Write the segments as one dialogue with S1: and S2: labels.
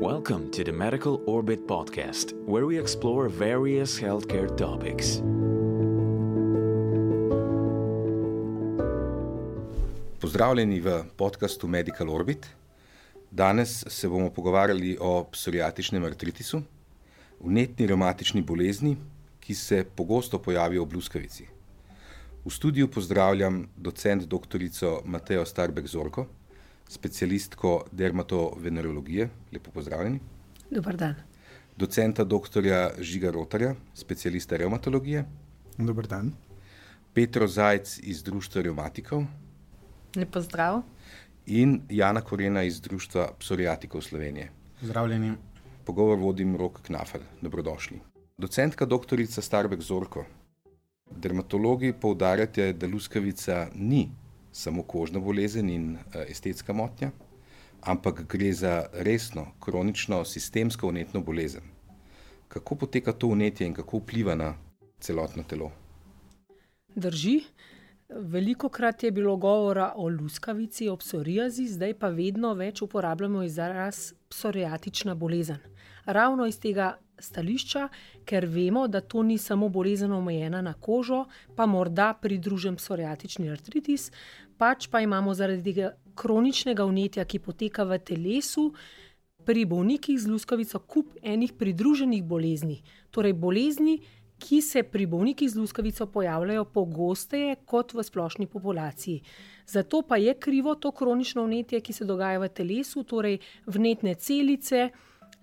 S1: Welcome to the Medical Orbit podcast, where we explore various healthcare topics.
S2: Pozdravljeni v podcastu Medical Orbit. Danes se bomo pogovarjali o psoriatičnem artritisu, vnetni revmatični bolezni, ki se pogosto pojavijo v luskavici. V studiu pozdravljam docent doktorico Matejo Starbek-Zorko, specialistko dermatovenerologije. Lepo pozdravljeni.
S3: Dobar dan.
S2: Docenta doktorja Žiga Rotarja, specialista revmatologije.
S4: Dobar dan.
S2: Petro Zajc iz Društva revmatikov.
S3: Lep pozdrav.
S2: In Jana Korena iz Društva psoriatikov Slovenije.
S4: Pozdravljeni.
S2: Pogovor vodim Rok Knafel. Dobrodošli. Docentka doktorica Starbek-Zorko, dermatologi poudarjate, da luskavica ni samo kožna bolezen in estetska motnja, ampak gre za resno, kronično, sistemsko vnetno bolezen. Kako poteka to vnetje in kako vpliva na celotno telo?
S3: Drži. Velikokrat je bilo govora o luskavici, o psoriazi, zdaj pa vedno več uporabljamo izraz psoriatična bolezen. Ravno iz tega stališča, ker vemo, da to ni samo bolezen omejena na kožo, pa morda pridružen psoriatični artritis, pač pa imamo zaradi tega kroničnega vnetja, ki poteka v telesu, pri bolnikih z luskavico kup enih pridruženih bolezni. Torej bolezni, ki se pri bolnikih z luskavico pojavljajo pogosteje kot v splošni populaciji. Zato pa je krivo to kronično vnetje, ki se dogaja v telesu, torej vnetne celice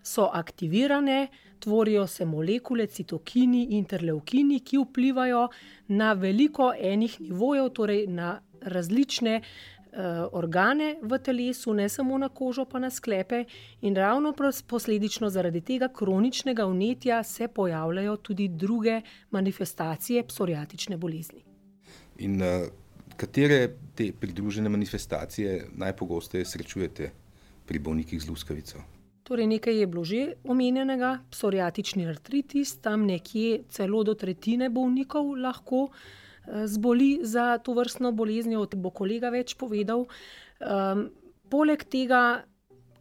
S3: so aktivirane, tvorijo se molekule, citokini, interleukini, ki vplivajo na veliko enih nivojev, torej na različne organe v telesu, ne samo na kožo, pa na sklepe, in ravno posledično zaradi tega kroničnega vnetja se pojavljajo tudi druge manifestacije psoriatične bolezni.
S2: In katere te pridružene manifestacije najpogosteje srečujete pri bolnikih z luskavico?
S3: Torej nekaj je bilo že omenjenega, psoriatični artritis, tam nekje celo do tretjine bolnikov lahko zboli za to vrstno boleznijo, bo kolega več povedal. Poleg tega,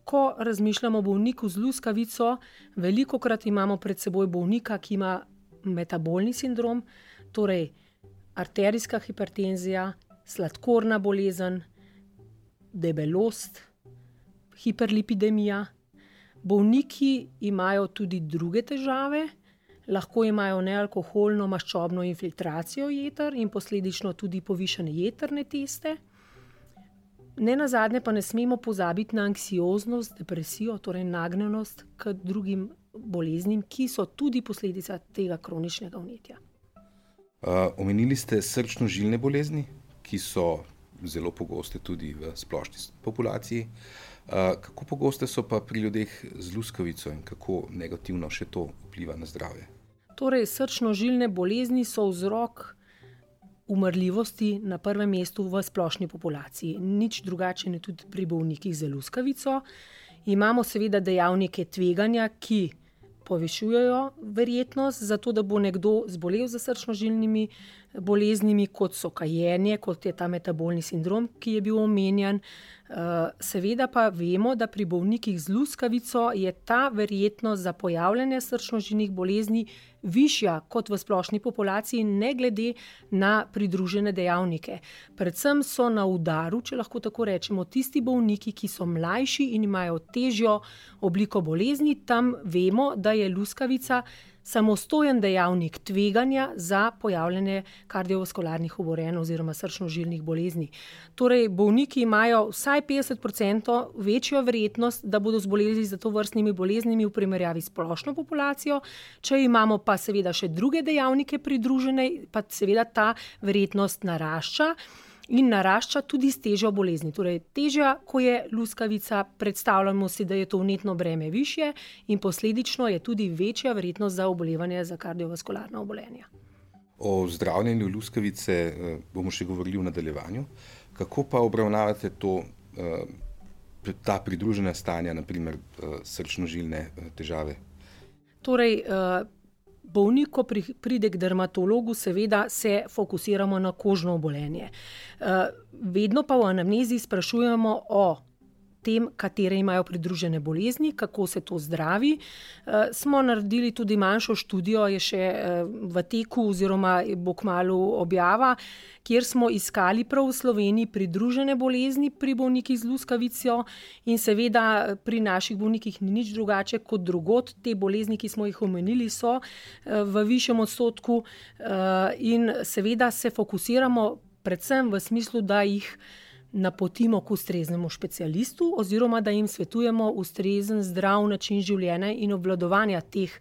S3: ko razmišljamo o bolniku z luskavico, velikokrat imamo pred seboj bolnika, ki ima metabolni sindrom, torej arterijska hipertenzija, sladkorna bolezen, debelost, hiperlipidemija. Bolniki imajo tudi druge težave, lahko imajo nealkoholno maščobno infiltracijo jeter in posledično tudi povišane jetrne teste. Nenazadnje pa ne smemo pozabiti na anksioznost, depresijo, torej nagnjenost k drugim boleznim, ki so tudi posledica tega kroničnega vnetja.
S2: Omenili ste srčno-žilne bolezni, ki so zelo pogoste tudi v splošni populaciji. Kako pogoste so pa pri ljudeh z luskavico in kako negativno še to vpliva na zdravje?
S3: Torej, srčno-žilne bolezni so vzrok umrljivosti na prvem mestu v splošni populaciji. Nič drugače ne tudi pri bolnikih z luskavico. Imamo seveda dejavnike tveganja, ki povišujejo verjetnost za to, da bo nekdo zbolel za srčno-žilnimi boleznimi, kot so kajenje, kot je ta metabolni sindrom, ki je bil omenjen. Seveda pa vemo, da pri bolnikih z luskavico je ta verjetnost za pojavljanje srčno-žilnih bolezni višja kot v splošni populaciji, ne glede na pridružene dejavnike. Predvsem so na udaru, če lahko tako rečemo, tisti bolniki, ki so mlajši in imajo težjo obliko bolezni. Tam vemo, da je luskavica samostojen dejavnik tveganja za pojavljanje kardiovaskularnih obolenj oziroma srčno-žilnih bolezni. Torej, bolniki imajo vsaj 50% večjo verjetnost, da bodo zboleli za tovrstnimi boleznimi v primerjavi s splošno populacijo. Če imamo pa seveda še druge dejavnike pridružene, pa seveda ta verjetnost narašča. In narašča tudi s težjo bolezni. Torej, težja, ko je luskavica, predstavljamo si, da je to vnetno breme višje in posledično je tudi večja verjetnost za obolevanje za kardiovaskularna obolenja.
S2: O zdravljenju luskavice bomo še govorili v nadaljevanju. Kako pa obravnavate ta pridružena stanja, naprimer srčno-žilne težave?
S3: Torej, bolnik, ko pride k dermatologu, seveda se fokusiramo na kožno obolenje. Vedno pa v anamnezi sprašujemo o tem, katere imajo pridružene bolezni, kako se to zdravi. Smo naredili tudi manjšo študijo, je še v teku oziroma bo kmalu objava, kjer smo iskali prav v Sloveniji pridružene bolezni pri bolnikih z luskavico in seveda pri naših bolnikih ni nič drugače kot drugod. Te bolezni, ki smo jih omenili, so v višjem odstotku in seveda se fokusiramo predvsem v smislu, da jih napotimo k ustreznemu specialistu oziroma da jim svetujemo ustrezen zdrav način življenja in obvladovanja teh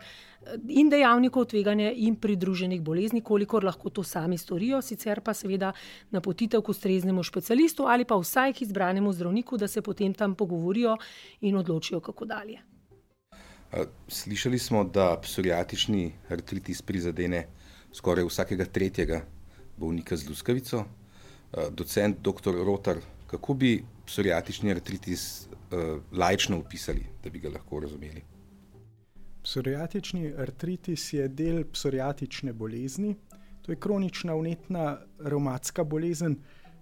S3: in dejavnikov tveganja in pridruženih bolezni, kolikor lahko to sami storijo, sicer pa seveda napotitev k ustreznemu specialistu ali pa vsaj k izbranemu zdravniku, da se potem tam pogovorijo in odločijo, kako dalje.
S2: Slišali smo, da psoriatični artritis prizadene skoraj vsakega tretjega bolnika z luskavico. Docent dr. Rotar, kako bi psoriatični artritis laično opisali, da bi ga lahko razumeli?
S4: Psoriatični artritis je del psoriatične bolezni. To je kronična vnetna revmatska bolezen,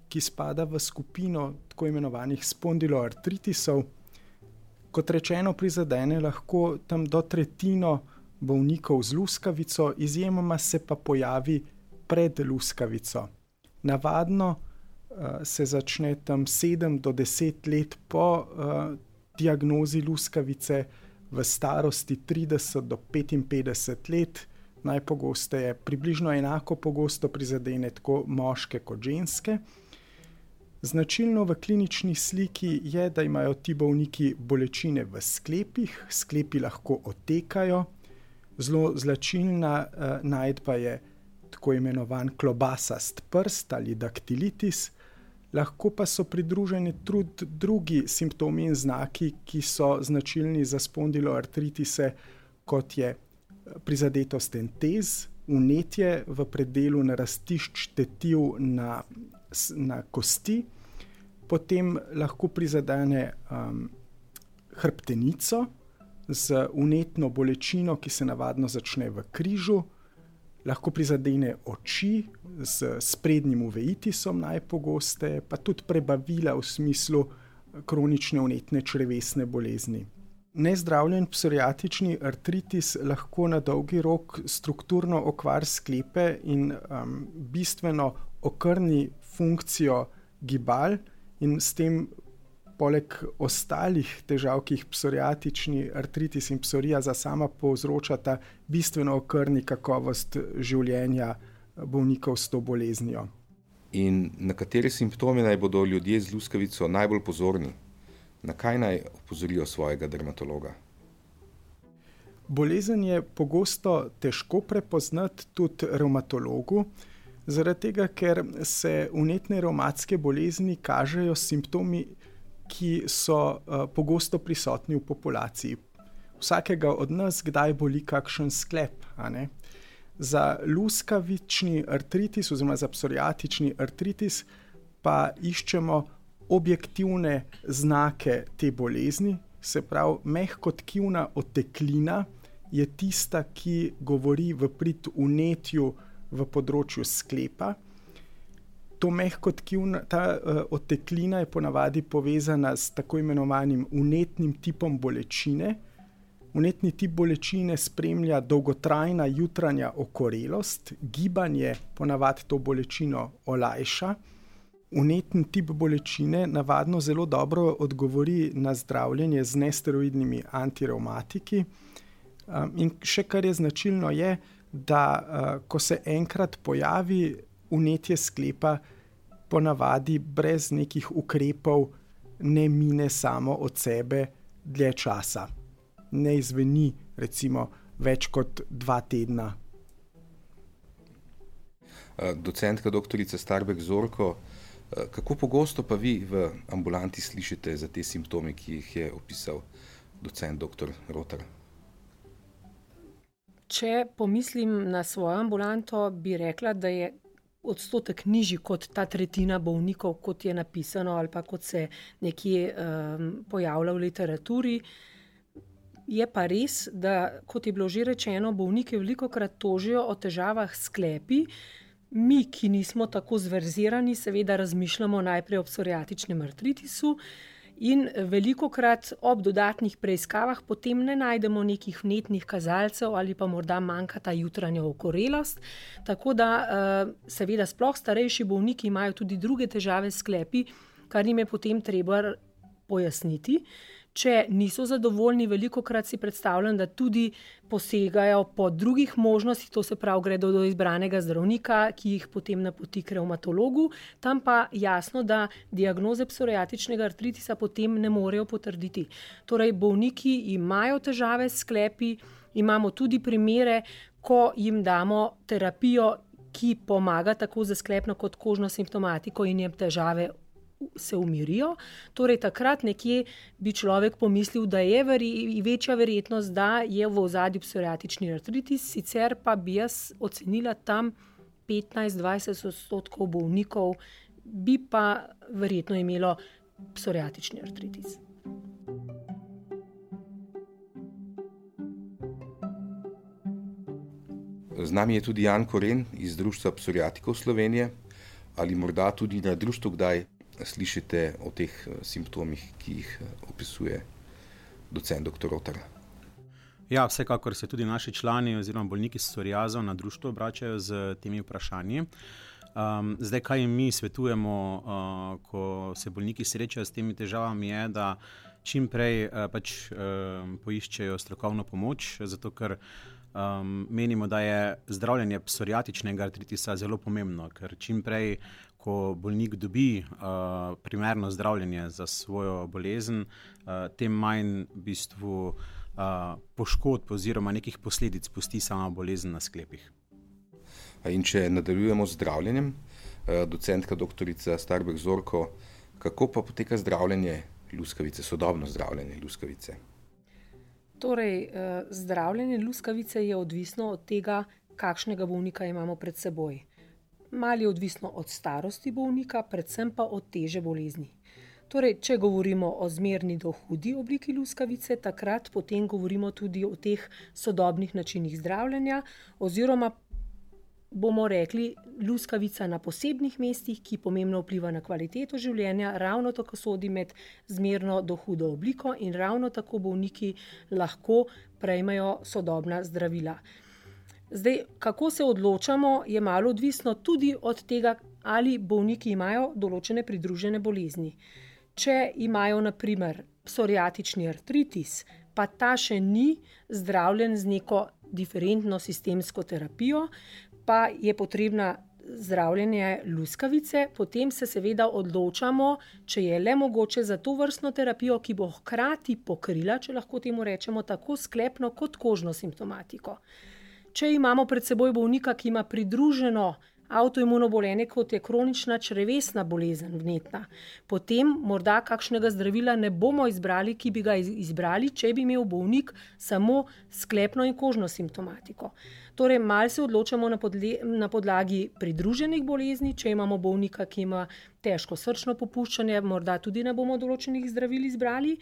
S4: ki spada v skupino tako imenovanih spondiloartritisov. Kot rečeno, prizadene lahko tam do tretjino bolnikov z luskavico, izjemoma se pa pojavi pred luskavico. Navadno se začne tam 7 do 10 let po diagnozi luskavice, v starosti 30 do 55 let, najpogosteje približno enako pogosto prizadene tako moške kot ženske. Značilno v klinični sliki je, da imajo ti bolniki bolečine v sklepih, sklepi lahko otekajo. Zelo značilna najdba je tako imenovan klobasast prst ali daktilitis, lahko pa so pridruženi tudi drugi simptomi in znaki, ki so značilni za spondiloartritise, kot je prizadetost entez, vnetje v predelu narastišč tetiv na kosti, potem lahko prizadene hrbtenico z vnetno bolečino, ki se navadno začne v križu, lahko prizadene oči z sprednjim uveitisom najpogosteje, pa tudi prebavila v smislu kronične vnetne črevesne bolezni. Nezdravljen psoriatični artritis lahko na dolgi rok strukturno okvari sklepe in bistveno okrni funkcijo gibal in s tem poleg ostalih težav, ki jih psoriatični artritis in psoriaza sama povzročata, bistveno okrni kakovost življenja bolnikov s to boleznijo.
S2: In na katere simptome naj bodo ljudje z luskavico najbolj pozorni? Na kaj naj opozorijo svojega dermatologa?
S4: Bolezen je pogosto težko prepoznati tudi revmatologu, zaradi tega, ker se vnetne revmatske bolezni kažejo s simptomi, ki so pogosto prisotni v populaciji. Vsakega od nas kdaj boli kakšen sklep, a ne? Za luskavični artritis oziroma za psoriatični artritis pa iščemo objektivne znake te bolezni, se pravi, mehkotkivna oteklina je tista, ki govori v prid vnetju v področju sklepa. Ta oteklina je ponavadi povezana s tako imenovanim vnetnim tipom bolečine. Vnetni tip bolečine spremlja dolgotrajna jutranja okorelost, gibanje ponavadi to bolečino olajša. Vnetni tip bolečine navadno zelo dobro odgovori na zdravljenje z nesteroidnimi antirevmatiki. In še kar je značilno je, da ko se enkrat pojavi vnetje sklepa, ponavadi brez nekih ukrepov ne mine samo od sebe dlje časa. Ne izveni recimo več kot 2 tedna.
S2: Docentka doktorica Starbek Zorko, kako pogosto pa vi v ambulanti slišite za te simptome, ki jih je opisal docent dr. Rotar?
S3: Če pomislim na svojo ambulanto, bi rekla, da je odstotek nižji kot ta tretjina bolnikov, kot je napisano ali pa kot se nekje pojavlja v literaturi. Je pa res, da, kot je bilo že rečeno, bolniki velikokrat tožijo o težavah s sklepi. Mi, ki nismo tako zverzirani, seveda razmišljamo najprej o psoriatičnem artritisu In velikokrat ob dodatnih preiskavah potem ne najdemo nekih vnetnih kazalcev ali pa morda manjka ta jutranja okorelost. Tako da seveda sploh starejši bolniki imajo tudi druge težave s sklepi, kar jim je potem treba pojasniti. Če niso zadovoljni, velikokrat si predstavljam, da tudi posegajo po drugih možnostih, to se pravi, gredo do izbranega zdravnika, ki jih potem napoti k revmatologu, tam pa jasno, da diagnoze psoriatičnega artritisa potem ne morejo potrditi. Torej, bolniki imajo težave s sklepi, imamo tudi primere, ko jim damo terapijo, ki pomaga tako za sklepno kot kožno simptomatiko in jim težave se umirijo. Torej, takrat nekje bi človek pomislil, da je večja verjetnost, da je v ozadju psoriatični artritis, sicer pa bi jaz ocenila tam 15-20% bolnikov bi pa verjetno imelo psoriatični artritis.
S2: Z nami je tudi Jan Koren iz Društva psoriatikov Slovenije. Ali morda tudi na društvu kdaj slišite o teh simptomih, ki jih opisuje docent dr. Rotar?
S5: Ja, vsekakor se tudi naši člani oziroma bolniki s psoriazo na društvo obračajo z temi vprašanji. Zdaj, kaj jim mi svetujemo, ko se bolniki srečajo s temi težavami, je, da čim prej poiščejo strokovno pomoč, zato ker menimo, da je zdravljenje psoriatičnega artritisa zelo pomembno, ker čim prej, ko bolnik dobi primerno zdravljenje za svojo bolezen, tem manj v bistvu poškodb oziroma nekih posledic pusti sama bolezen na sklepih.
S2: In če nadaljujemo z zdravljenjem, docentka doktorica Starberg Zorko, kako pa poteka zdravljenje luskavice, sodobno zdravljenje luskavice?
S3: Torej, zdravljenje luskavice je odvisno od tega, kakšnega bolnika imamo pred seboj. Malo je odvisno od starosti bolnika, predvsem pa od teže bolezni. Torej, če govorimo o zmerni do hudi obliki luskavice, takrat potem govorimo tudi o teh sodobnih načinih zdravljenja, oziroma bomo rekli luskavica na posebnih mestih, ki pomembno vpliva na kvaliteto življenja, ravno tako sodi med zmerno do hudo obliko in ravno tako bolniki lahko prejmejo sodobna zdravila. Zdaj, kako se odločamo, je malo odvisno tudi od tega, ali bolniki imajo določene pridružene bolezni. Če imajo na primer psoriatični artritis, pa ta še ni zdravljen z neko diferentno sistemsko terapijo, pa je potrebna zdravljenje luskavice, potem se seveda odločamo, če je le mogoče za to vrstno terapijo, ki bo hkrati pokrila, če lahko temu rečemo, tako sklepno kot kožno simptomatiko. Če imamo pred seboj bolnika, ki ima pridruženo avtoimuno bolenje, kot je kronična črevesna bolezen vnetna, potem morda kakšnega zdravila ne bomo izbrali, ki bi ga izbrali, če bi imel bolnik samo sklepno in kožno simptomatiko. Torej, malo se odločamo na podlagi pridruženih bolezni, če imamo bolnika, ki ima težko srčno popuščanje, morda tudi ne bomo določenih zdravil izbrali.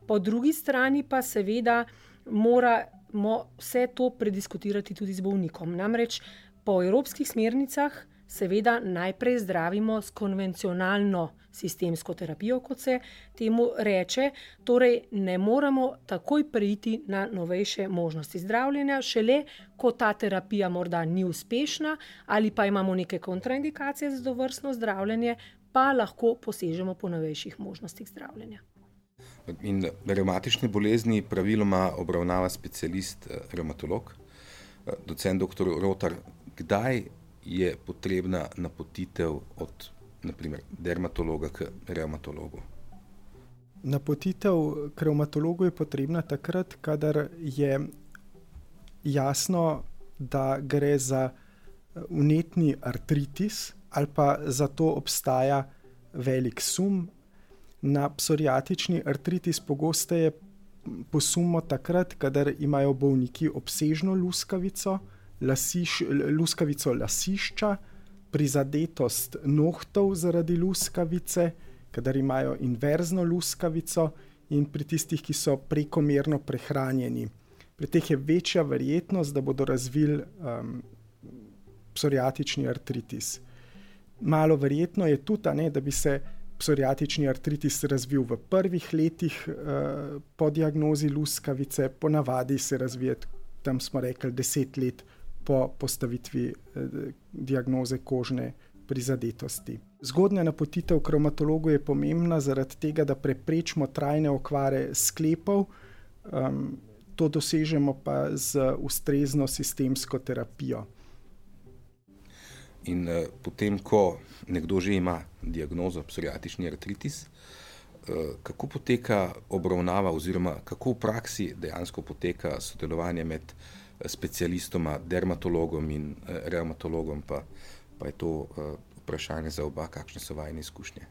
S3: Po drugi strani pa seveda moramo vse to prediskutirati tudi z bolnikom. Namreč po evropskih smernicah seveda najprej zdravimo s konvencionalno sistemsko terapijo, kot se temu reče, torej ne moramo takoj preiti na novejše možnosti zdravljenja, šele ko ta terapija morda ni uspešna ali pa imamo neke kontraindikacije za tovrstno zdravljenje, pa lahko posežemo po novejših možnostih zdravljenja.
S2: In revmatične bolezni praviloma obravnava specialist revmatolog. Docent dr. Rotar, kdaj je potrebna napotitev od, naprimer, dermatologa k revmatologu?
S4: Napotitev k revmatologu je potrebna takrat, kadar je jasno, da gre za vnetni artritis ali pa za to obstaja velik sum. Na psoriatični artritis pogosteje posumimo takrat, kadar imajo bolniki obsežno luskavico, luskavico lasišča, prizadetost nohtov zaradi luskavice, kadar imajo inverzno luskavico in pri tistih, ki so prekomerno prehranjeni. Pri teh je večja verjetnost, da bodo razvili psoriatični artritis. Malo verjetno je tudi, da bi se psoriatični artritis razvil v prvih letih po diagnozi luskavice, ponavadi se razvije, tam smo rekli, 10 let po postavitvi diagnoze kožne prizadetosti. Zgodnja napotitev k revmatologu je pomembna zaradi tega, da preprečimo trajne okvare sklepov, to dosežemo pa z ustrezno sistemsko terapijo.
S2: In potem, ko nekdo že ima diagnozo psoriatični artritis, kako poteka obravnava oziroma kako v praksi dejansko poteka sodelovanje med specialistoma, dermatologom in revmatologom, pa je to vprašanje za oba, kakšne so vajine izkušnje?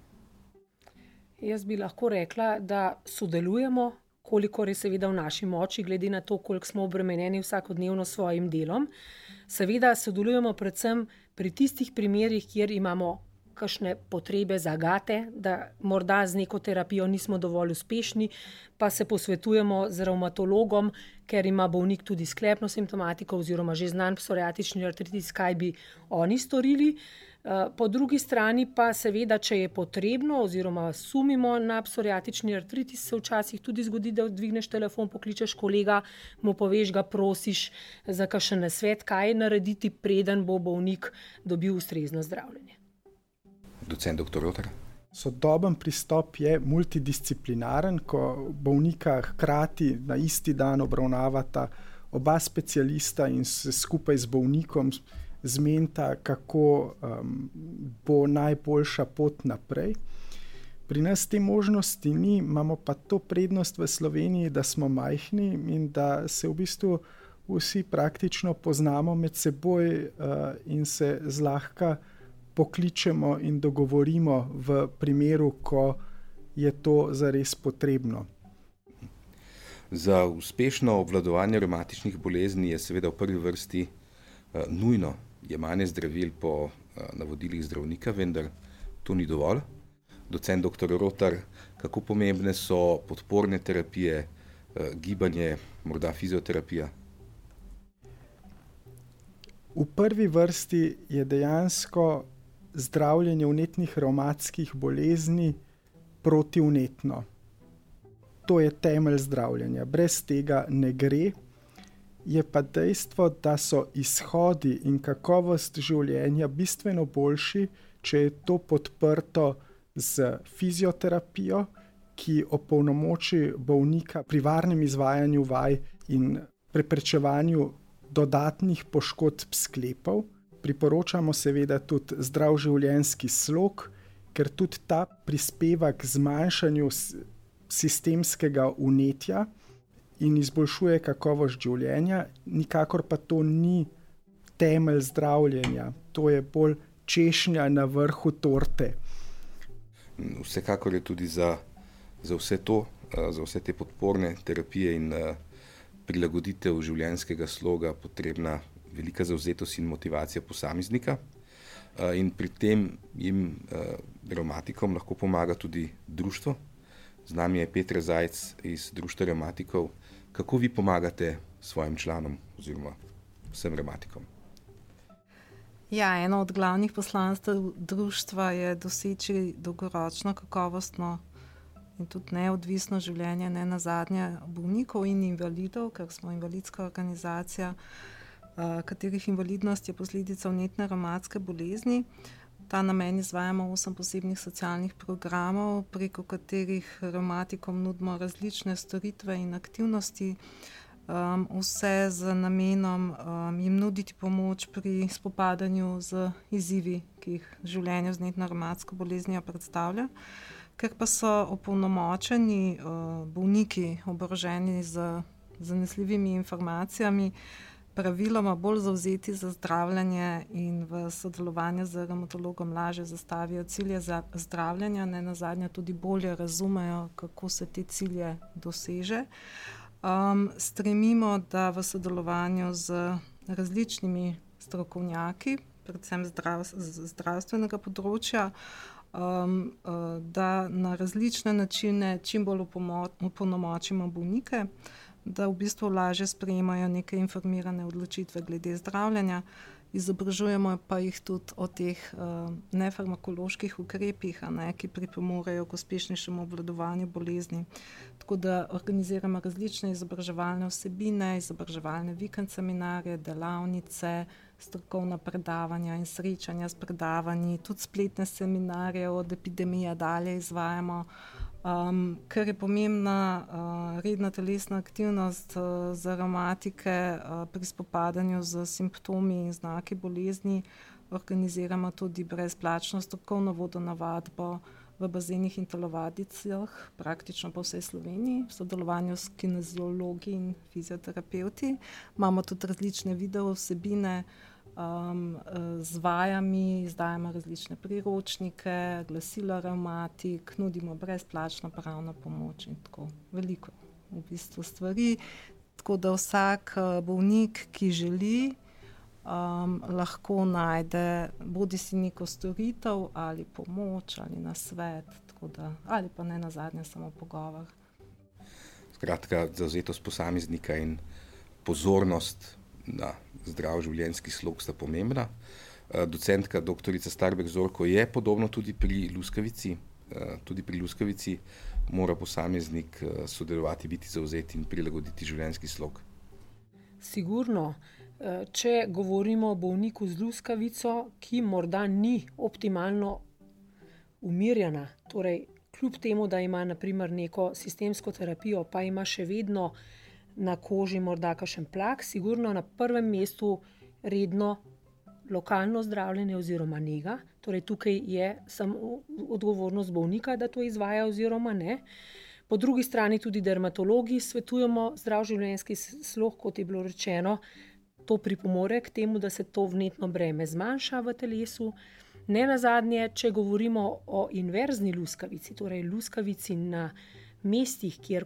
S3: Jaz bi lahko rekla, da sodelujemo, kolikor je seveda v naši moči, glede na to, koliko smo obremenjeni vsakodnevno s svojim delom. Seveda sodelujemo predvsem pri tistih primerih, kjer imamo kakšne potrebe, zagate, da morda z neko terapijo nismo dovolj uspešni, pa se posvetujemo z revmatologom, ker ima bolnik tudi sklepno simptomatiko oziroma že znan psoriatični artritis, kaj bi oni storili. Po drugi strani pa seveda, če je potrebno oziroma sumimo na psoriatični artritis, se včasih tudi zgodi, da dvigneš telefon, pokličeš kolega, mu poveš, ga prosiš za kakšen nasvet, kaj narediti, preden bo bolnik dobil ustrezno zdravljenje.
S2: Docent dr. Rotar.
S4: Sodoben pristop je multidisciplinaren, ko bolnika hkrati na isti dan obravnavata oba specialista in se skupaj z bolnikom zmenita, kako bo najboljša pot naprej. Pri nas te možnosti ni, imamo pa to prednost v Sloveniji, da smo majhni in da se v bistvu vsi praktično poznamo med seboj in se zlahka pokličemo in dogovorimo v primeru, ko je to zares potrebno.
S2: Za uspešno obvladovanje revmatičnih bolezni je seveda v prvi vrsti nujno jemanje zdravil po navodilih zdravnika, vendar to ni dovolj. Docent dr. Rotar, kako pomembne so podporne terapije, gibanje, morda fizioterapija?
S4: V prvi vrsti je dejansko zdravljenje vnetnih revmatskih bolezni protivnetno. To je temelj zdravljenja. Brez tega ne gre. Je pa dejstvo, da so izhodi in kakovost življenja bistveno boljši, če je to podprto z fizioterapijo, ki opolnomoči bolnika pri varnem izvajanju vaj in preprečevanju dodatnih poškodb sklepov. Priporočamo seveda tudi zdrav življenjski slog, ker tudi ta prispeva k zmanjšanju sistemskega vnetja in izboljšuje kakovost življenja, nikakor pa to ni temelj zdravljenja, to je bolj češnja na vrhu torte.
S2: Vsekakor je tudi za vse to, za vse te podporne terapije in prilagoditev življenjskega sloga potrebna velika zavzetost in motivacija posameznika. In pri tem jim revmatikom lahko pomaga tudi društvo. Z nami je Petra Zajc iz Društva revmatikov. Kako vi pomagate svojim članom oziroma vsem revmatikom?
S6: Ja, eno od glavnih poslanstev društva je doseči dolgoročno, kakovostno in tudi neodvisno življenje, ne nazadnje bolnikov in invalidov, ker smo invalidska organizacija, katerih invalidnost je posledica vnetne revmatske bolezni. Ta namen izvajamo 8 posebnih socialnih programov, preko katerih revmatikom nudimo različne storitve in aktivnosti, vse z namenom jim nuditi pomoč pri spopadanju z izzivi, ki jih življenje z vnetno revmatsko boleznijo predstavlja. Ker pa so opolnomočeni bolniki oboroženi z zanesljivimi informacijami, praviloma bolj zavzeti za zdravljenje in v sodelovanju z revmatologom lažje zastavijo cilje za zdravljenja, ne nazadnje tudi bolje razumejo, kako se te cilje doseže. Stremimo, da v sodelovanju z različnimi strokovnjaki, predvsem zdravstvenega področja, da na različne načine čim bolj opolnomočimo bolnike, da v bistvu lažje sprejemajo neke informirane odločitve glede zdravljenja izobražujemo pa jih tudi o teh nefarmakoloških ukrepih, ki pripomorejo k uspešnejšemu obvladovanju bolezni. Tako da organiziramo različne izobraževalne vsebine, izobraževalne vikend seminarje, delavnice, strokovna predavanja in srečanja s predavanji, tudi spletne seminarje od epidemije dalje izvajamo. Ker je pomembna redna telesna aktivnost za revmatike pri spopadanju z simptomi in znaki bolezni, organiziramo tudi brezplačno strokovno vodonavadbo v bazenih in telovadicah, praktično po vsej Sloveniji, v sodelovanju s kineziologi in fizioterapeuti. Imamo tudi različne video vsebine z vajami, izdajamo različne priročnike, glasila revmatik, nudimo brezplačno pravno pomoč in tako veliko v bistvu stvari. Tako da vsak bolnik, ki želi, lahko najde bodisi neko storitev ali pomoč ali nasvet, tako da, ali pa ne nazadnje samo pogovor.
S2: Skratka, zavzetost posameznika in pozornost na zdrav življenjski slog sta pomembna. Docentka doktorica Starbek Zorko je podobno tudi pri luskavici. Tudi pri luskavici mora posameznik sodelovati, biti zavzet in prilagoditi življenjski slog.
S3: Sigurno. Če govorimo o bolniku z luskavico, ki morda ni optimalno umirjena, torej kljub temu, da ima na primer neko sistemsko terapijo, pa ima še vedno na koži morda kakšen plak, sigurno na prvem mestu redno lokalno zdravljenje oziroma nega. Torej tukaj je samo odgovornost bolnika, da to izvaja oziroma ne. Po drugi strani tudi dermatologi svetujemo zdrav življenjski slog, kot je bilo rečeno. To pripomore k temu, da se to vnetno breme zmanjša v telesu. Ne nazadnje, če govorimo o inverzni luskavici, torej luskavici na mestih, kjer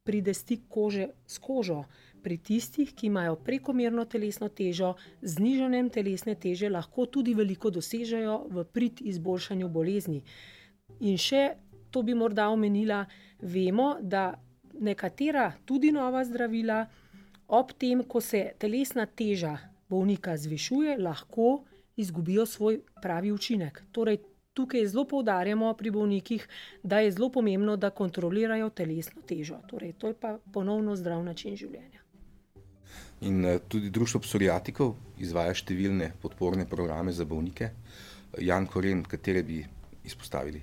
S3: pride stik kože s kožo, pri tistih, ki imajo prekomerno telesno težo, z znižanjem telesne teže lahko tudi veliko dosežejo v prid izboljšanju bolezni. In še, to bi morda omenila, vemo, da nekatera tudi nova zdravila ob tem, ko se telesna teža bolnika zvišuje, lahko izgubijo svoj pravi učinek. Torej, tukaj zelo poudarjamo pri bolnikih, da je zelo pomembno, da kontrolirajo telesno težo. Torej, to je pa ponovno zdrav način življenja.
S2: In tudi Društvo psoriatikov izvaja številne podporne programe za bolnike. Jan Koren, katere bi izpostavili?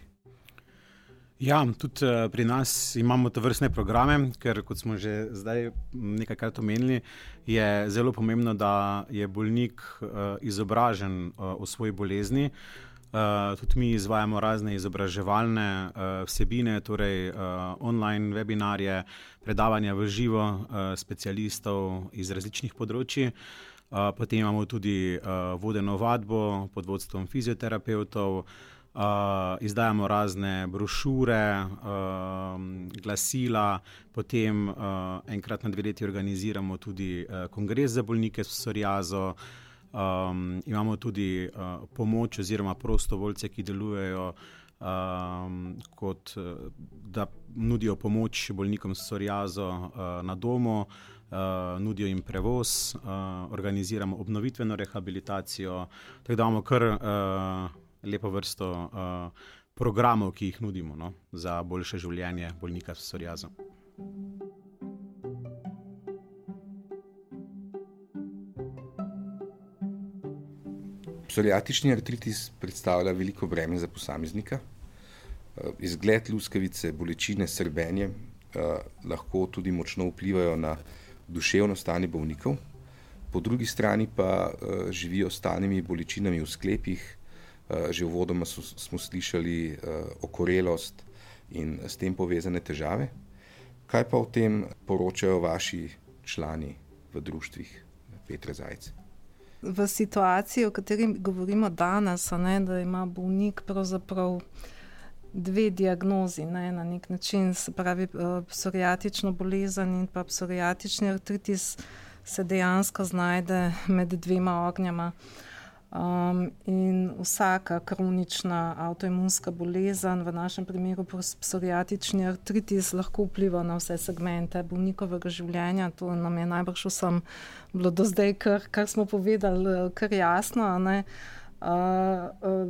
S5: Ja, tudi pri nas imamo tovrstne programe, ker kot smo že zdaj nekajkrat omenili, je zelo pomembno, da je bolnik izobražen o svoji bolezni. Tudi mi izvajamo razne izobraževalne vsebine, torej online webinarje, predavanja v živo specialistov iz različnih področji. Potem imamo tudi vodeno vadbo pod vodstvom fizioterapevtov, izdajamo razne brošure, glasila, potem enkrat na 2 leti organiziramo tudi kongres za bolnike s psoriazo. Imamo tudi pomoč oziroma prostovoljce, ki delujejo kot da nudijo pomoč bolnikom s psoriazo na domu, nudijo jim prevoz, organiziramo obnovitveno rehabilitacijo, tako da imamo kar lepo vrsto programov, ki jih nudimo za boljše življenje bolnika s psoriazo.
S2: Psoriatični artritis predstavlja veliko breme za posameznika. Izgled luskavice, bolečine, srbenje lahko tudi močno vplivajo na duševno stanje bolnikov. Po drugi strani pa živijo s stalnimi bolečinami v sklepih. Že uvodoma smo slišali okorelost in s tem povezane težave. Kaj pa o tem poročajo vaši člani v društvih, Petra Zajc?
S6: V situaciji, o kateri govorimo danes, da ima bolnik pravzaprav 2 diagnozi, na nek način, se pravi psoriatično bolezen in pa psoriatični artritis, se dejansko znajde med 2 ognjema. In vsaka kronična avtoimunska bolezen, v našem primeru psoriatični artritis, lahko vpliva na vse segmente bolnikovega življenja. To nam je najbrž vsem bilo do zdaj, kar smo povedali, kar jasno, ne?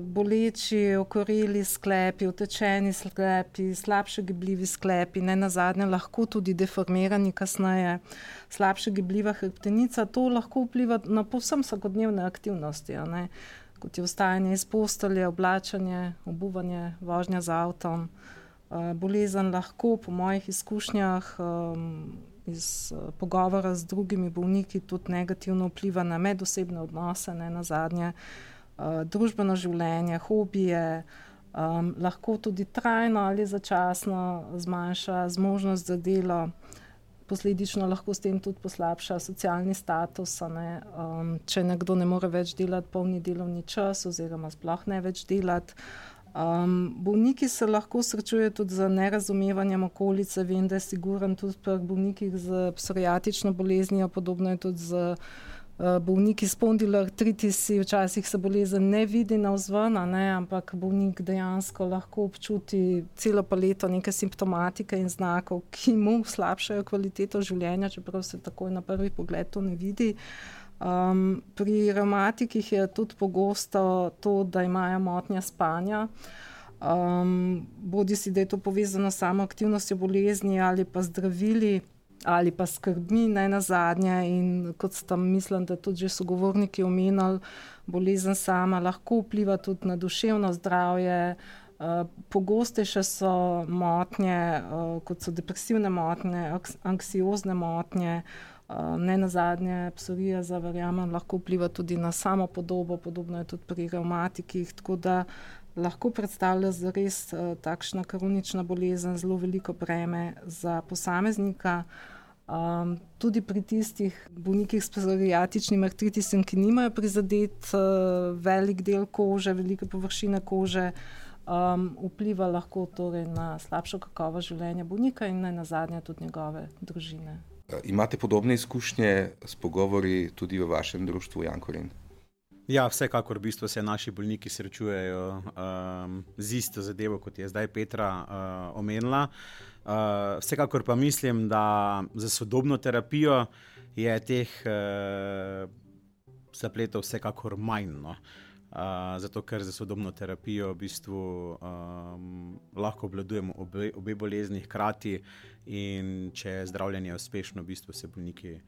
S6: Boleči, okoreli sklepi, utečeni sklepi, slabše gibljivi sklepi, ne nazadnje lahko tudi deformirani kasneje, slabše gibljiva hrbtenica, to lahko vpliva na povsem vsakodnevne aktivnosti, ne? Kot je vstajanje iz postelje, oblačenje, obuvanje, vožnja z avtom. Bolezen lahko po mojih izkušnjah iz pogovora z drugimi bolniki tudi negativno vpliva na medosebne odnose, ne nazadnje, družbeno življenje, hobije, lahko tudi trajno ali začasno zmanjša zmožnost za delo, posledično lahko s tem tudi poslabša socialni status, ne? Če nekdo ne more več delati polni delovni čas oziroma sploh ne več delati. Bolniki se lahko srečujejo tudi z nerazumevanjem okolice. Vem, da je siguren tudi pri bolnikih z psoriatično boleznijo, podobno je tudi z bolniki s spondiloartritisi, včasih se bolezen ne vidi navzven, ne, ampak bolnik dejansko lahko občuti celo paleto neke simptomatike in znakov, ki mu slabšajo kvaliteto življenja, čeprav se takoj na prvi pogled to ne vidi. Pri revmatikih je tudi pogosto to, da imajo motnje spanja. Bodisi, da je to povezano s samo aktivnostjo bolezni ali pa zdravili, ali pa skrbmi, ne nazadnje, in kot sta, mislim, da tudi že sogovorniki omenili, bolezen sama lahko vpliva tudi na duševno zdravje. Pogostejše so motnje, kot so depresivne motnje, anksiozne motnje, ne nazadnje psoriaza, verjamem, lahko vpliva tudi na samopodobo, podobno je tudi pri revmatikih, tako da lahko predstavlja zares takšna kronična bolezen zelo veliko breme za posameznika. Tudi pri tistih bolnikih s psoriatičnim artritisom, ki nimajo prizadet velik del kože, velike površine kože, vpliva lahko torej na slabšo kakovost življenja bolnika in ne nazadnje tudi njegove družine.
S2: Imate podobne izkušnje s pogovori tudi v vašem društvu, Jankorin?
S5: Ja, vsekakor v bistvu se naši bolniki srečujejo z isto zadevo, kot je zdaj Petra omenila. Vsekakor pa mislim, da za sodobno terapijo je teh zapletov vsekakor manj, no. Zato ker za sodobno terapijo v bistvu lahko obvladujemo obe bolezni hkrati, in če je zdravljenje uspešno, v bistvu se bolniki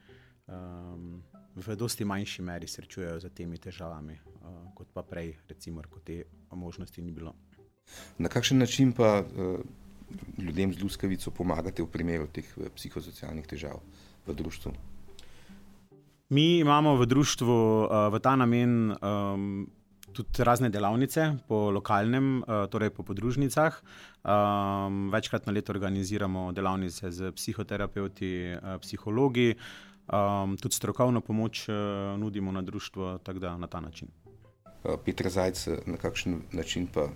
S5: v dosti manjši meri srečujejo z temi težavami, kot pa prej, recimo, ko te možnosti ni bilo.
S2: Na kakšen način pa ljudem z luskavico pomagate v primeru teh psihosocialnih težav v društvu?
S5: Mi imamo v društvu v ta namen tudi razne delavnice po lokalnem, torej po podružnicah. Večkrat na leto organiziramo delavnice z psihoterapeuti, psihologi, tudi strokovno pomoč nudimo na društvo, tako da na ta način.
S2: Petra Zajc, na kakšen način pa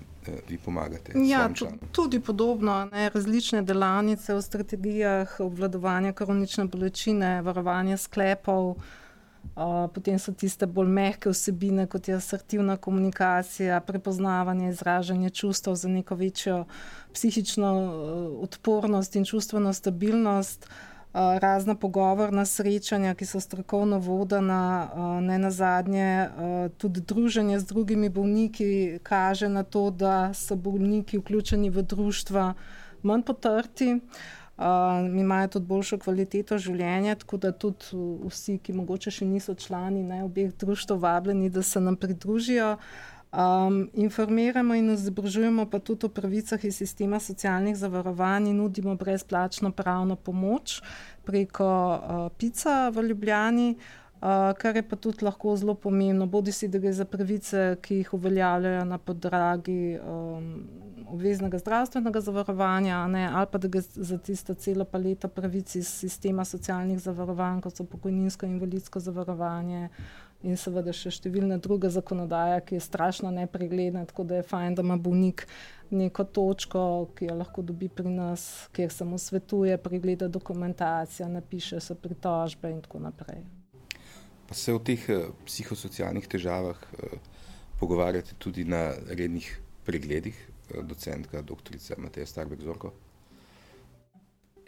S2: vi pomagate?
S6: Ja, tudi podobno, ne, različne delavnice o strategijah obvladovanja kronične bolečine, varovanja sklepov, potem so tiste bolj mehke vsebine, kot je asertivna komunikacija, prepoznavanje, izražanje čustev za neko večjo psihično odpornost in čustveno stabilnost, razna pogovorna srečanja, ki so strokovno vodena, ne nazadnje tudi druženje z drugimi bolniki kaže na to, da so bolniki vključeni v društva manj potrti, imajo tudi boljšo kvaliteto življenja, tako da tudi vsi, ki mogoče še niso člani obeh društev, vabljeni, da se nam pridružijo. Informiramo in izobražujemo pa tudi o pravicah iz sistema socialnih zavarovanj in nudimo brezplačno pravno pomoč preko PIC-a v Ljubljani, kar je pa tudi lahko zelo pomembno, bodisi da gre za pravice, ki jih uveljavljajo na podlagi obveznega zdravstvenega zavarovanja, ne, ali pa da gre za tisto celo paleto pravic iz sistema socialnih zavarovanj, kot so pokojninsko in invalidsko zavarovanje in seveda še številna druga zakonodaja, ki je strašno nepregledna, tako da je fajn, da ima bolnik neko točko, ki jo lahko dobi pri nas, kjer se mu svetuje, pregleda dokumentacija, napiše se pritožbe in tako naprej.
S2: Pa se o teh psihosocialnih težavah pogovarjate tudi na rednih pregledih, docentka doktorica Mateja Starbek-Zorko?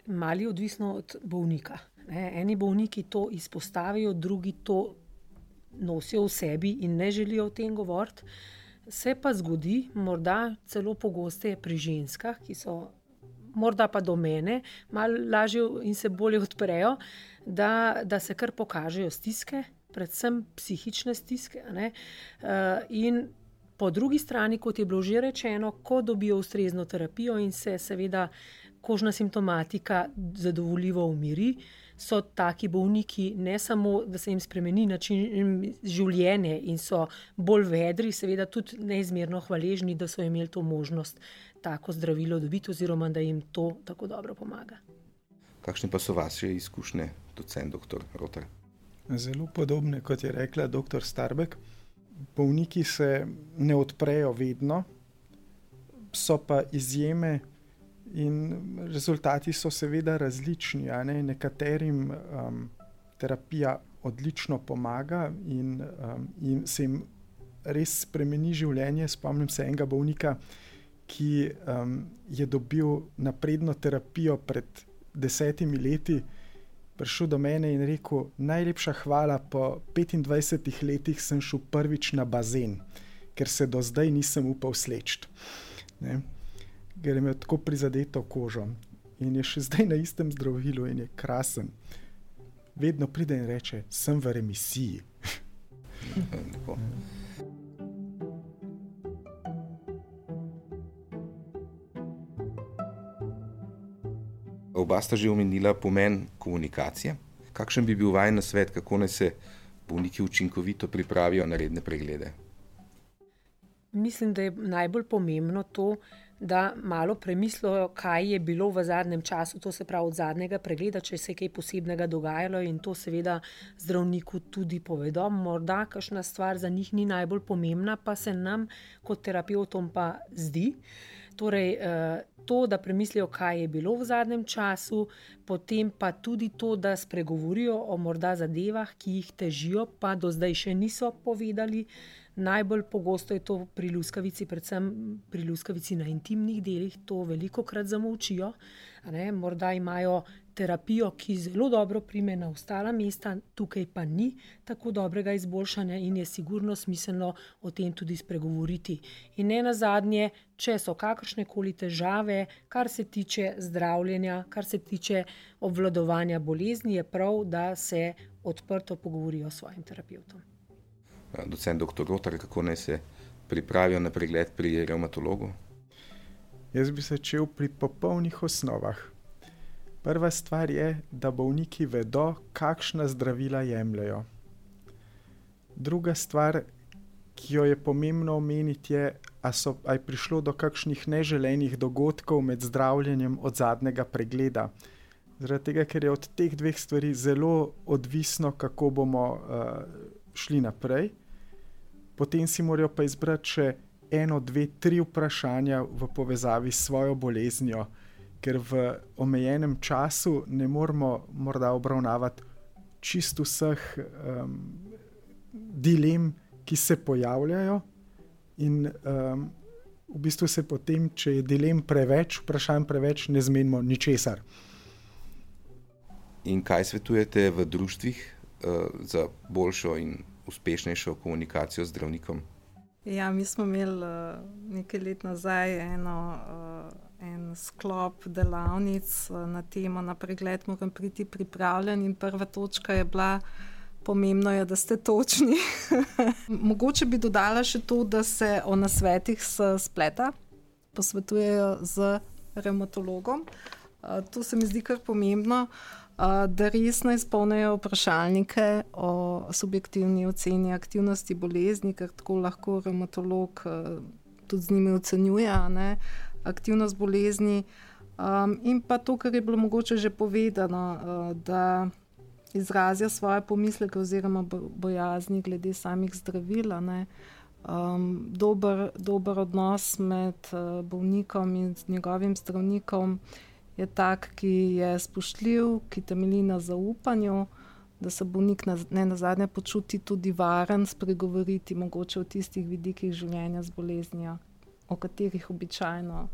S3: Mali odvisno od bolnika. Eni bolniki to izpostavijo, drugi to nosijo v sebi in ne želijo o tem govoriti. Se pa zgodi, morda celo pogosteje pri ženskah, ki so morda pa do mene, malo lažje in se bolje odprejo, da se kar pokažejo stiske, predvsem psihične stiske. In po drugi strani, kot je bilo že rečeno, ko dobijo ustrezno terapijo in se seveda kožna simptomatika zadovoljivo umiri, so taki bolniki ne samo, da se jim spremeni način življenja in so bolj vedri, seveda tudi neizmerno hvaležni, da so imeli to možnost tako zdravilo dobiti oziroma da jim to tako dobro pomaga.
S2: Kakšne pa so vaše izkušnje, docent dr. Rotar?
S4: Zelo podobne, kot je rekla dr. Starbek. Bolniki se ne odprejo vedno, so pa izjeme in rezultati so seveda različni. Nekaterim terapija odlično pomaga in se jim res spremeni življenje. Spomnim se enega bolnika, ki je dobil napredno terapijo pred 10 leti, prišel do mene in rekel: najlepša hvala, po 25 letih sem šel prvič na bazen, ker se do zdaj nisem upal sleči. Ker je imel tako prizadeto kožo in je še zdaj na istem zdravilu in je krasen. Vedno pride in reče: sem v remisiji.
S2: Oba sta že omenila pomen komunikacije. Kakšen bi bil vajen nasvet, kako naj se bolniki učinkovito pripravijo na redne preglede?
S3: Mislim, da je najbolj pomembno to, da malo premislijo, kaj je bilo v zadnjem času, to se pravi od zadnjega pregleda, če se je kaj posebnega dogajalo, in to seveda zdravniku tudi povedo. Morda kakšna stvar za njih ni najbolj pomembna, pa se nam kot terapevtom pa zdi. Torej, to, da premislijo, kaj je bilo v zadnjem času, potem pa tudi to, da spregovorijo o morda zadevah, ki jih težijo, pa do zdaj še niso povedali. Najbolj pogosto je to pri luskavici, predvsem pri luskavici na intimnih delih, to velikokrat zamolčijo. Morda imajo terapijo, ki zelo dobro prime na ostala mesta, tukaj pa ni tako dobrega izboljšanja in je sigurno smiselno o tem tudi spregovoriti. In ne nazadnje, če so kakršnekoli težave, kar se tiče zdravljenja, kar se tiče obvladovanja bolezni, je prav, da se odprto pogovorijo s svojim terapevtom.
S2: Docent dr. Rotar, kako naj se pripravijo na pregled pri revmatologu?
S4: Jaz bi začel pri popolnih osnovah. Prva stvar je, da bolniki vedo, kakšna zdravila jemljajo. Druga stvar, ki jo je pomembno omeniti, je, a je prišlo do kakšnih neželenih dogodkov med zdravljenjem od zadnjega pregleda. Zaradi tega, ker je od teh dveh stvari zelo odvisno, kako bomo šli naprej. Potem si morajo pa izbrati še 1, 2, 3 vprašanja v povezavi s svojo boleznijo, ker v omejenem času ne moramo morda obravnavati čisto vseh dilem, ki se pojavljajo, in v bistvu se potem, če je dilem preveč, vprašanj preveč, ne zmenimo ničesar.
S2: In kaj svetujete v društvih za boljšo in uspešnejšo komunikacijo z zdravnikom?
S6: Ja, mi smo imeli nekaj let nazaj en sklop delavnic na temo Na pregled moram priti pripravljen, in prva točka je bila: pomembno je, da ste točni. Mogoče bi dodala še to, da se o nasvetih s spleta posvetujejo z revmatologom. To se mi zdi kar pomembno, da resno izpolnijo vprašalnike o subjektivni oceni aktivnosti bolezni, ker tako lahko revmatolog tudi z njimi ocenjuje aktivnost bolezni. In pa to, kar je bilo mogoče že povedano, da izrazijo svoje pomisleke oziroma bojazni glede samih zdravil. Dober odnos med bolnikom in njegovim zdravnikom je tak, ki je spoštljiv, ki temelji na zaupanju, da se bolnik ne nazadnje počuti tudi varen spregovoriti mogoče o tistih vidikih življenja z boleznijo, o katerih običajno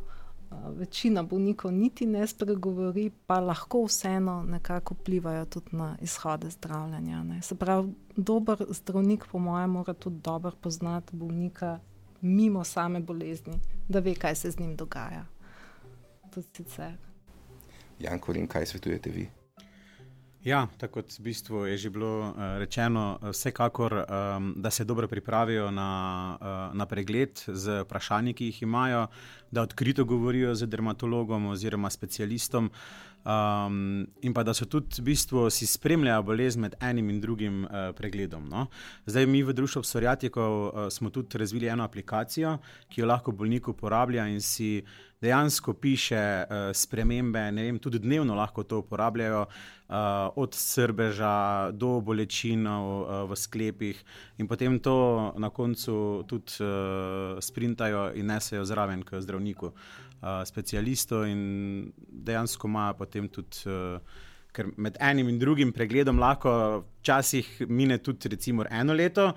S6: večina bolnikov niti ne spregovori, pa lahko vseeno nekako vplivajo tudi na izhode zdravljenja. Ne. Se pravi, dober zdravnik po mojem mora tudi dobro poznati bolnika mimo same bolezni, da ve, kaj se z njim dogaja. Tudi sicer.
S2: Jan Korin, kaj svetujete vi?
S5: Ja, tako kot v bistvu je že bilo rečeno, vsekakor, da se dobro pripravijo na pregled z vprašanji, ki jih imajo, da odkrito govorijo z dermatologom oziroma specialistom, in pa da so tudi v bistvu si spremljajo bolezen med enim in drugim pregledom. No? Zdaj mi v Društvu psoriatikov smo tudi razvili eno aplikacijo, ki jo lahko bolnik uporablja in si dejansko piše spremembe, ne vem, tudi dnevno lahko to uporabljajo, od srbeža do bolečinov v sklepih in potem to na koncu tudi sprintajo in nesejo zraven k zdravniku, specialistu in dejansko imajo potem tudi, ker med enim in drugim pregledom lahko včasih mine tudi recimo 1 leto,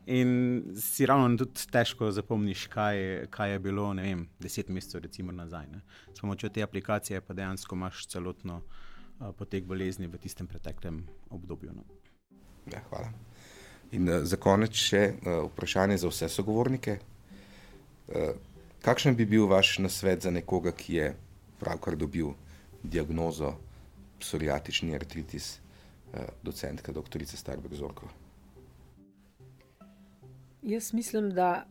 S5: in si ravno tudi težko zapomniš, kaj je bilo, ne vem, 10 mesecev recimo nazaj. Ne. S pomočjo te aplikacije pa dejansko imaš celotno potek bolezni v tistem preteklem obdobju. No.
S2: Ja, hvala. In za konec še vprašanje za vse sogovornike. Kakšen bi bil vaš nasvet za nekoga, ki je pravkar dobil diagnozo psoriatični artritis, docentka doktorica Starberg-Zorko?
S3: Jaz mislim, da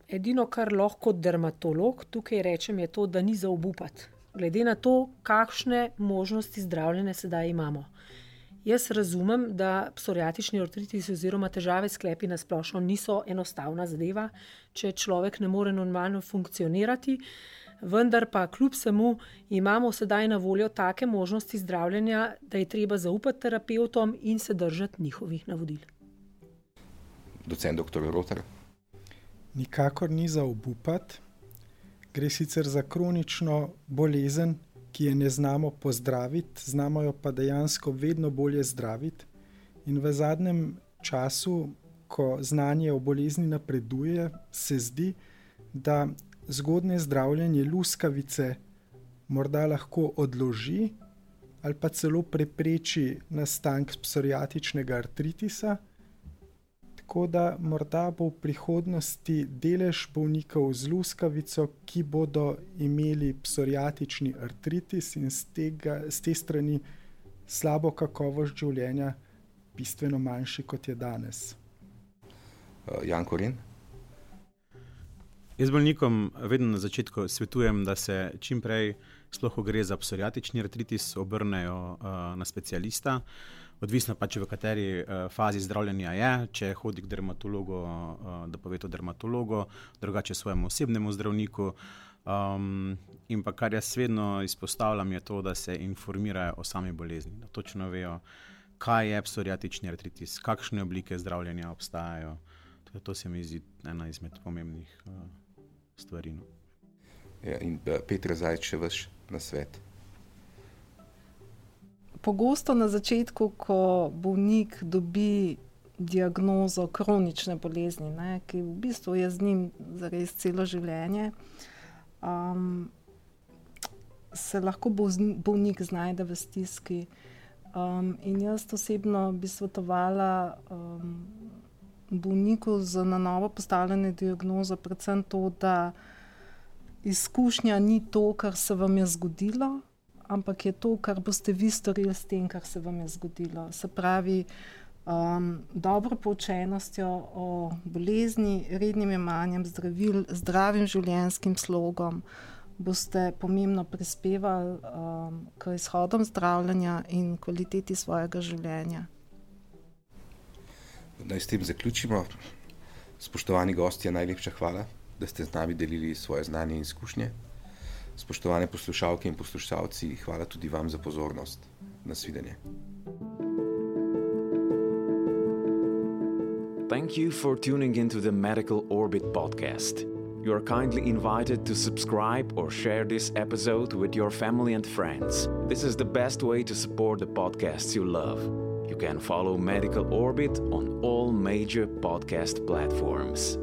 S3: edino, kar lahko kot dermatolog tukaj rečem, je to, da ni za obupati. Glede na to, kakšne možnosti zdravljenja sedaj imamo. Jaz razumem, da psoriatični artritis oziroma težave s sklepi na splošno niso enostavna zadeva, če človek ne more normalno funkcionirati, vendar pa kljub vsemu imamo sedaj na voljo take možnosti zdravljenja, da je treba zaupati terapevtom in se držati njihovih navodil.
S2: Docent dr. Rotar.
S4: Nikakor ni za obupati. Gre sicer za kronično bolezen, ki je ne znamo pozdraviti, znamo jo pa dejansko vedno bolje zdraviti. In v zadnjem času, ko znanje o bolezni napreduje, se zdi, da zgodnje zdravljenje luskavice morda lahko odloži ali pa celo prepreči nastanek psoriatičnega artritisa. Tako da morda bo v prihodnosti delež bolnikov z luskavico, ki bodo imeli psoriatični artritis in z te strani slabo kakovost življenja bistveno manjši, kot je danes.
S2: Jan Korin.
S5: Jaz bolnikom vedno na začetku svetujem, da se čim prej, sploh ko gre za psoriatični artritis, obrnejo na specialista. Odvisno pač v kateri fazi zdravljenja je, če hodi k dermatologu, da pove to dermatologu, drugače svojemu osebnemu zdravniku. In pa kar jaz vedno izpostavljam je to, da se informirajo o sami bolezni, da točno vejo, kaj je psoriatični artritis, kakšne oblike zdravljenja obstajajo. To se mi zdi ena izmed pomembnih stvari. No.
S2: Ja, in Petra Zajc, še vaš nasvet.
S6: Pogosto na začetku, ko bolnik dobi diagnozo kronične bolezni, ne, ki v bistvu je z njim zares celo življenje, se lahko bolnik znajde v stiski. In jaz osebno bi svetovala bolniku z na novo postavljeno diagnozo predvsem to, da izkušnja ni to, kar se vam je zgodilo, ampak je to, kar boste vi storili s tem, kar se vam je zgodilo. Se pravi, dobro poučenostjo o bolezni, rednim jemanjem zdravil, zdravim življenjskim slogom boste pomembno prispevali k izhodom zdravljenja in kvaliteti svojega življenja.
S2: Naj s tem zaključimo. Spoštovani gostje, najlepša hvala, da ste z nami delili svoje znanje in izkušnje. Spoštovane poslušalke in poslušalci, hvala tudi vam za pozornost. Nasvidenje.
S1: Thank you for tuning into the Medical Orbit podcast. You are kindly invited to subscribe or share this episode with your family and friends. This is the best way to support the podcasts you love. You You can follow Medical Orbit on all major podcast platforms.